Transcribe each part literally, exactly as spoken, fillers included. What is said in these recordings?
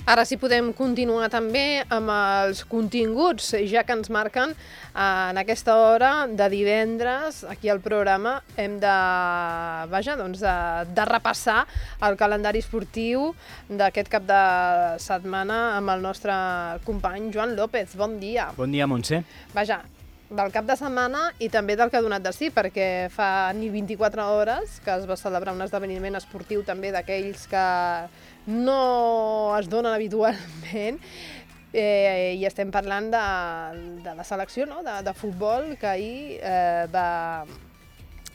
Ara sí podem continuar també amb els continguts, ja que ens marquen en aquesta hora de divendres, aquí al programa, hem de, vaja, doncs de, de repassar el calendari esportiu d'aquest cap de setmana amb el nostre company Joan López. Bon dia. Bon dia, Montse. Vaja, del cap de setmana i també del que ha donat de sí, perquè fa ni vint-i-quatre hores que es va celebrar un esdeveniment esportiu també d'aquells que no es donen habitualment, eh, i estem parlant de, de la selecció, no? de, de futbol, que ahir eh, va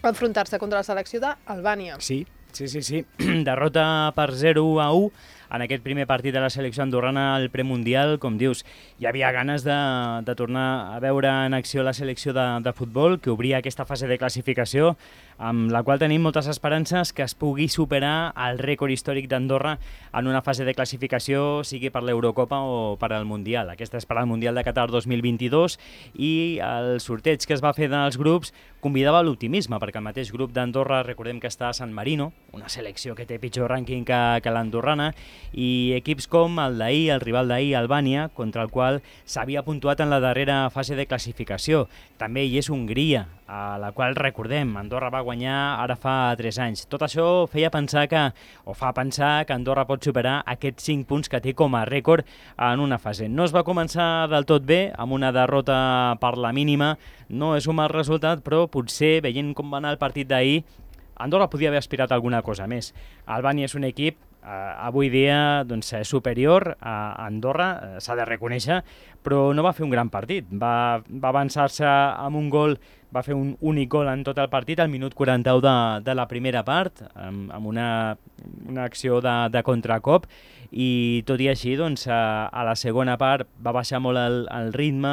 enfrontar-se contra la selecció d'Albània. Sí, sí, sí, sí. Derrota per zero a u en aquest primer partit de la selecció andorrana al premundial. Com dius, hi havia ganes de, de tornar a veure en acció la selecció de, de futbol, que obria aquesta fase de classificació, amb la qual tenim moltes esperances que es pugui superar el rècord històric d'Andorra en una fase de classificació, sigui per l'Eurocopa o per al Mundial. Aquesta és per al Mundial de Qatar dos mil vint-i-dos, i el sorteig que es va fer dels grups convidava a l'optimisme, perquè el mateix grup d'Andorra, recordem que està a San Marino, una selecció que té pitjor rànquing que, que l'andorrana, i equips com el d'ahir, el rival d'ahir, Albània, contra el qual s'havia puntuat en la darrera fase de classificació. També hi és Hongria, a la qual, recordem, Andorra va guanyar ara fa tres anys. Tot això feia pensar que, o fa pensar que Andorra pot superar aquests cinc punts que té com a rècord en una fase. No es va començar del tot bé, amb una derrota per la mínima. No és un mal resultat, però potser, veient com va anar el partit d'ahir, Andorra podia haver aspirat a alguna cosa més. Albània és un equip eh, avui dia doncs, superior a Andorra, eh, s'ha de reconèixer, però no va fer un gran partit. Va, va avançar-se amb un gol, va fer un únic gol en tot el partit, al minut quaranta-u de, de la primera part, amb, amb una, una acció de, de contracop, i tot i així, doncs, a, a la segona part va baixar molt el, el ritme,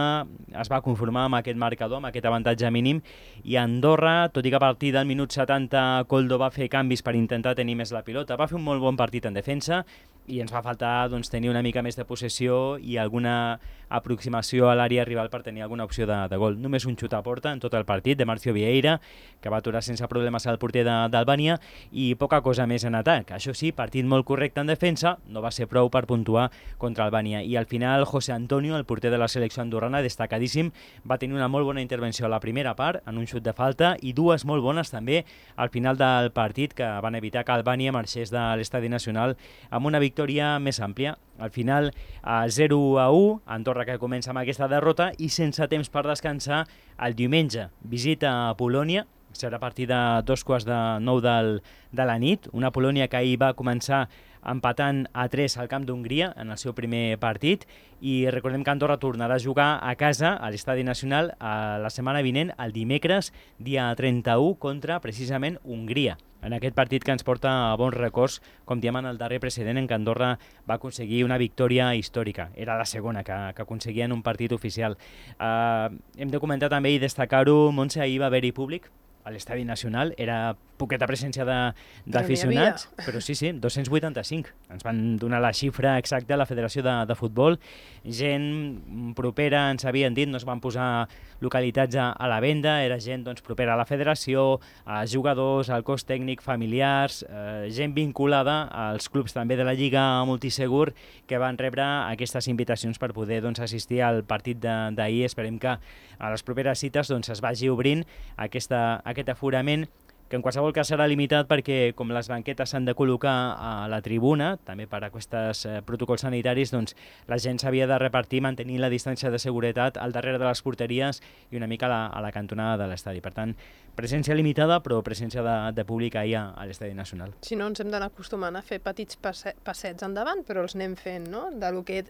es va conformar amb aquest marcador, amb aquest avantatge mínim, i Andorra, tot i que a partir del minut setanta Koldo va fer canvis per intentar tenir més la pilota, va fer un molt bon partit en defensa, i ens va faltar doncs, tenir una mica més de possessió i alguna aproximació a l'àrea rival per tenir alguna opció de, de gol. Només un xut a porta en tot el partit de Marcio Vieira, que va aturar sense problemes al porter d'Albània, i poca cosa més en atac. Això sí, partit molt correcte en defensa, no va ser prou per puntuar contra Albània. I al final José Antonio, el porter de la selecció andorrana, destacadíssim, va tenir una molt bona intervenció a la primera part, en un xut de falta, i dues molt bones també al final del partit, que van evitar que Albània marxés de l'Estadi Nacional amb una victòria més àmplia. Al final, a zero a u, Andorra que comença amb aquesta derrota, i sense temps per descansar, el diumenge visita a Polònia, serà a partir de dos quarts de nou del, de la nit, una Polònia que ahir va començar empatant a tres al camp d'Hongria en el seu primer partit, i recordem que Andorra tornarà a jugar a casa a l'Estadi Nacional a la setmana vinent, el dimecres, dia trenta-u, contra precisament Hongria, en aquest partit que ens porta a bons records, com diem en el darrer precedent en què Andorra va aconseguir una victòria històrica. Era la segona que, que aconseguia en un partit oficial. Uh, hem de comentar també i destacar-ho, Montse, ahir va haver-hi públic a l'Estadi Nacional, era poqueta presència d'aficionats, però sí, sí, dos-cents vuitanta-cinc. Ens van donar la xifra exacta a la Federació de, de Futbol. Gent propera, ens havien dit, no es van posar localitats a, a la venda, era gent doncs, propera a la federació, a jugadors, al cos tècnic, familiars, eh, gent vinculada als clubs també de la Lliga Multisegur, que van rebre aquestes invitacions per poder doncs, assistir al partit d'ahir. Esperem que a les properes cites doncs, es vagi obrint aquesta, aquest aforament, que en qualsevol cas serà limitat perquè com les banquetes s'han de col·locar a la tribuna, també per a aquests eh, protocols sanitaris, doncs la gent s'havia de repartir mantenint la distància de seguretat al darrere de les porteries i una mica a la, a la cantonada de l'estadi. Per tant, presència limitada, però presència de, de públic ahir a, a l'Estadi Nacional. Si no, ens hem d'anar acostumant a fer petits passe passets endavant, però els anem fent, no? De lo que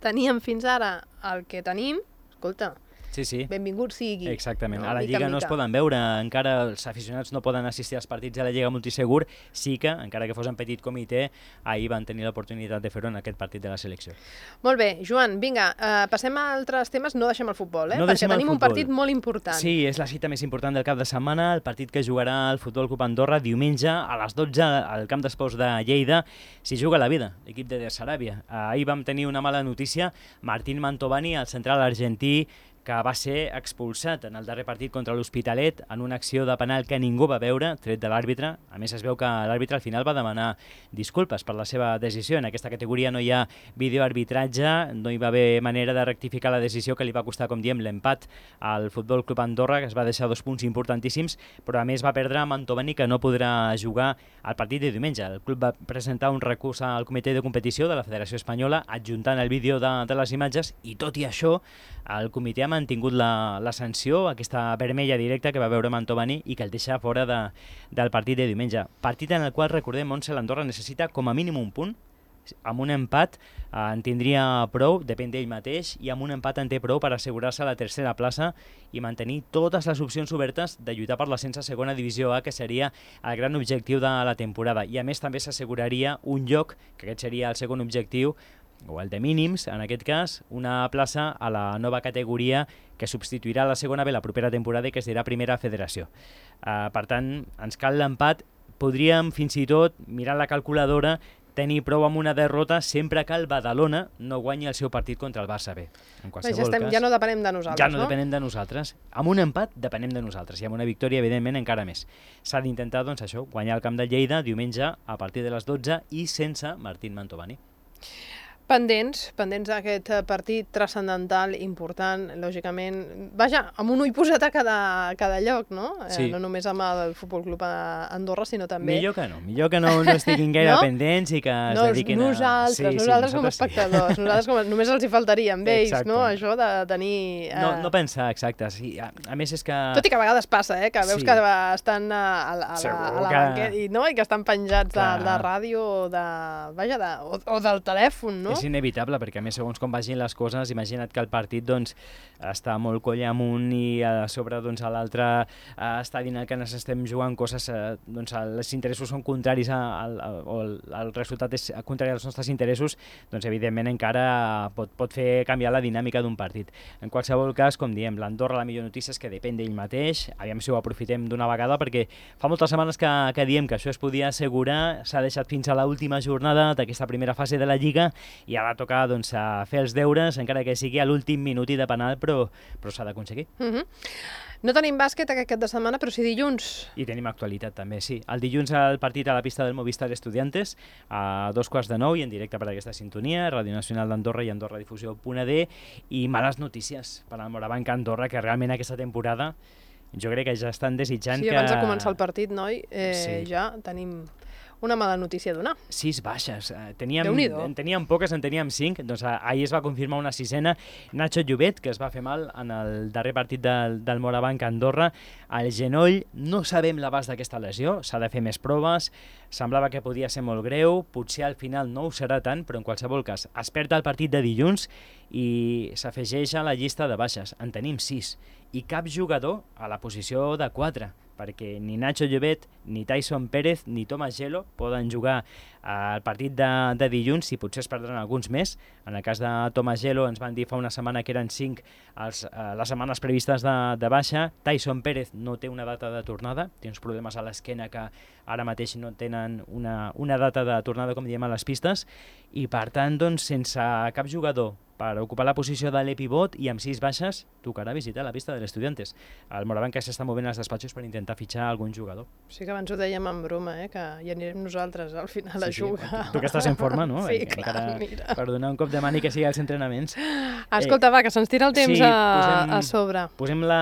teníem fins ara al que tenim, escolta, Sí, sí. benvingut sigui. Exactament. No? A la Mica, Lliga no mica. es poden veure, encara els aficionats no poden assistir als partits de la Lliga Multisegur, sí que, encara que fos en petit comitè, ahir van tenir l'oportunitat de fer-ho en aquest partit de la selecció. Molt bé, Joan, vinga, uh, passem a altres temes, no deixem el futbol, eh? No perquè deixem el tenim un futbol. partit molt important. Sí, és la cita més important del cap de setmana, el partit que jugarà el Futbol Club Andorra diumenge a les dotze al camp d'esports de Lleida. S'hi juga la vida, l'equip de Saràbia. Ahir vam tenir una mala notícia, Martín Mantovani, el central argentí, que va ser expulsat en el darrer partit contra l'Hospitalet en una acció de penal que ningú va veure, tret de l'àrbitre. A més, es veu que l'àrbitre al final va demanar disculpes per la seva decisió. En aquesta categoria no hi ha videoarbitratge, no hi va haver manera de rectificar la decisió que li va costar, com diem, l'empat al Futbol Club Andorra, que es va deixar dos punts importantíssims, però a més va perdre Mantovani, que no podrà jugar al partit de diumenge. El club va presentar un recurs al comitè de competició de la Federació Espanyola adjuntant el vídeo de, de les imatges i, tot i això, el comitè ha mantingut la, la sanció, aquesta vermella directa que va veure Mantovani i que el deixa fora de, del partit de diumenge. Partit en el qual, recordem, Montse, l'Andorra necessita com a mínim un punt. Amb un empat eh, en tindria prou, depèn d'ell mateix, i amb un empat en té prou per assegurar-se la tercera plaça i mantenir totes les opcions obertes de lluitar per l'ascens a segona divisió A, que seria el gran objectiu de la temporada. I a més també s'asseguraria un lloc, que aquest seria el segon objectiu, o el de mínims, en aquest cas, una plaça a la nova categoria que substituirà la segona B la propera temporada i que es dirà Primera Federació. Uh, per tant, ens cal l'empat. Podríem fins i tot mirar la calculadora, tenir prou amb una derrota sempre que el Badalona no guanyi el seu partit contra el Barça B. En qualsevol ja, estem, cas, ja no depenem de nosaltres, ja no? no? depenem de nosaltres. Amb un empat depenem de nosaltres i amb una victòria, evidentment, encara més. S'ha d'intentar, doncs, això, guanyar el camp de Lleida diumenge a partir de les dotze i sense Martín Mantovani. Pendents, pendents d'aquest partit transcendental, important, lògicament. Vaja, amb un ull posat a cada, a cada lloc, no? Sí. Eh, no només amb el Futbol Club Andorra, sinó també... Millor que no, millor que no, no estiguin gaire no? pendents i que es no, dediquin nosaltres, a... Sí, nosaltres, sí, nosaltres com a sí. espectadors, nosaltres com a... només els hi faltaria amb ells, Exacte. no? Això de tenir... Eh... No, no pensar, exacte. Sí. A, a més és que... Tot i que a vegades passa, eh? Que veus sí. que estan a, a, a, la, a la que... banqueta i, no? I que estan penjats de, de ràdio o, de, vaja, de, o, o del telèfon, no? És inevitable, perquè a més, segons com vagin les coses, imagina't que el partit doncs, està molt coll amunt i a sobre doncs, a l'altre eh, estadi en el que ens estem jugant coses, eh, doncs, els interessos són contraris a, a, a, o el, el resultat és contrari als nostres interessos, doncs evidentment encara pot, pot fer canviar la dinàmica d'un partit. En qualsevol cas, com diem, l'Andorra, la millor notícia és que depèn d'ell mateix, aviam si ho aprofitem d'una vegada, perquè fa moltes setmanes que, que diem que això es podia assegurar, s'ha deixat fins a l'última jornada d'aquesta primera fase de la Lliga i ara toca doncs, a fer els deures, encara que sigui a l'últim minut i de penal, però, però s'ha d'aconseguir. Uh-huh. No tenim bàsquet aquest cap de setmana, però sí dilluns. I tenim actualitat també, sí. El dilluns el partit a la pista del Movistar Estudiantes, a dos quarts de nou i en directe per aquesta sintonia, Ràdio Nacional d'Andorra i Andorra Difusió punt a d, i males notícies per al Morabanc Andorra, que realment aquesta temporada jo crec que ja estan desitjant que... que... Sí, abans de començar el partit, noi, eh, sí. ja tenim... una mala notícia a donar. Sis baixes. Teníem, en teníem poques, en teníem cinc. Doncs ahir es va confirmar una sisena. Nacho Llobet, que es va fer mal en el darrer partit del, del Morabanc Andorra. Al genoll, no sabem l'abast d'aquesta lesió, s'ha de fer més proves. Semblava que podia ser molt greu, potser al final no ho serà tant, però en qualsevol cas es perd el partit de dilluns i s'afegeix a la llista de baixes. En tenim sis. I cap jugador a la posició de quatre, perquè ni Nacho Llobet, ni Tyson Pérez, ni Thomas Gelo poden jugar al partit de, de dilluns, i potser es perdran alguns més. En el cas de Thomas Gelo ens van dir fa una setmana que eren cinc els, eh, les setmanes previstes de, de baixa. Tyson Pérez no té una data de tornada, té uns problemes a l'esquena que ara mateix no tenen una, una data de tornada, com diem, a les pistes, i per tant, doncs, sense cap jugador per ocupar la posició de l'epivot i amb sis baixes, tocarà visitar la pista de l'Estudiantes. El Morabanc que s'està movent als despatxos per intentar fitxar algun jugador. Sí que abans ho dèiem en broma, eh? Que hi anirem nosaltres al final a sí, jugar. Sí. Tu que estàs en forma, no? Sí, Encara, clar, mira. Per donar un cop de mani que sigui als entrenaments. Escolta, eh, va, que se'ns tira el temps sí, a, posem, a sobre. Posem la,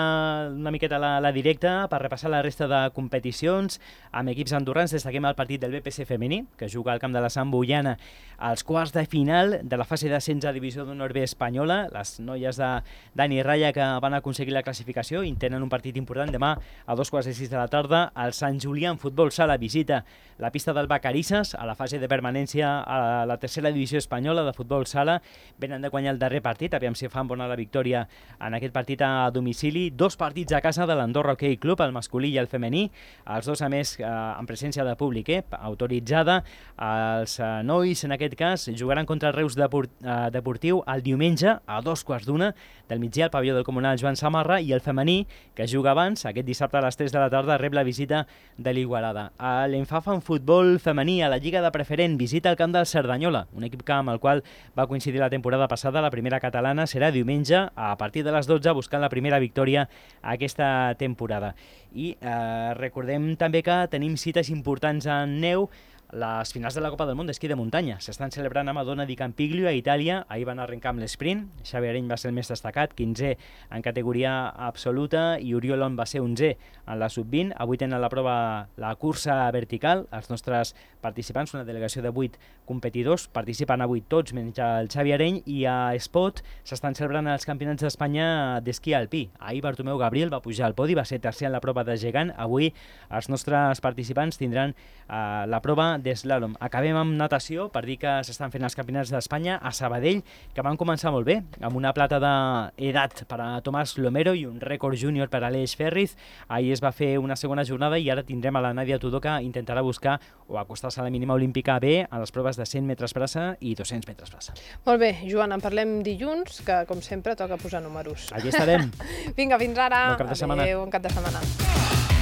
una miqueta la, la directa per repassar la resta de competicions. Amb equips andorrans destaquem el partit del B P C femení, que juga al camp de la Sant Boiana als quarts de final de la fase d'ascens a Divisió d'Honor B espanyola. Les noies de Dani Raya, que van aconseguir la classificació, i tenen un partit important demà a dos quarts de sis de la tarda. El Sant Julià en futbol sala visita la pista del Vacarisses a la fase de permanència a la tercera divisió espanyola de futbol sala. Venen de guanyar el darrer partit, aviam si fan bona la victòria en aquest partit a domicili. Dos partits a casa de l'Andorra Hockey Club, el masculí i el femení, els dos a més eh, en presència de públic, eh, autoritzada. Els eh, nois, en aquest cas, jugaran contra el Reus Deport, eh, Deportiu a el diumenge a dos quarts d'una del migdia al pavelló del Comunal Joan Samarra, i el femení, que juga abans, aquest dissabte a les tres de la tarda, rep la visita de l'Igualada. L'Enfafa en futbol femení a la Lliga de Preferent visita el camp del Cerdanyola, un equip amb el qual va coincidir la temporada passada. La primera catalana serà diumenge a partir de les dotze, buscant la primera victòria aquesta temporada. I eh, recordem també que tenim cites importants en neu. Les finals de la Copa del Món d'esquí de muntanya s'estan celebrant a Madonna di Campiglio, a Itàlia. Ahir van arrencar amb l'esprint. Xavi Areny va ser el més destacat, quinzè en categoria absoluta, i Oriol On va ser onzè en la sub vint. Avui tenen la prova la cursa vertical. Els nostres participants, una delegació de vuit competidors, participen avui tots menys el Xavi Areny, i a Espot s'estan celebrant els campionats d'Espanya d'esquí alpí. Ahir Bartomeu Gabriel va pujar al podi, va ser tercer en la prova de gegant. Avui els nostres participants tindran eh, la prova d'eslalom. Acabem amb natació per dir que s'estan fent els campionats d'Espanya a Sabadell, que van començar molt bé, amb una plata d'edat per a Tomàs Lomero i un rècord júnior per a Aleix Ferriz. Ahir es va fer una segona jornada i ara tindrem a la Nàdia Tudó, que intentarà buscar o acostar-se a la mínima olímpica B a les proves de cent metres braça i dos-cents metres braça. Molt bé, Joan, en parlem dilluns, que com sempre toca posar números. Allí estarem. Vinga, fins ara. Bon cap de setmana. Adéu, bon cap de setmana.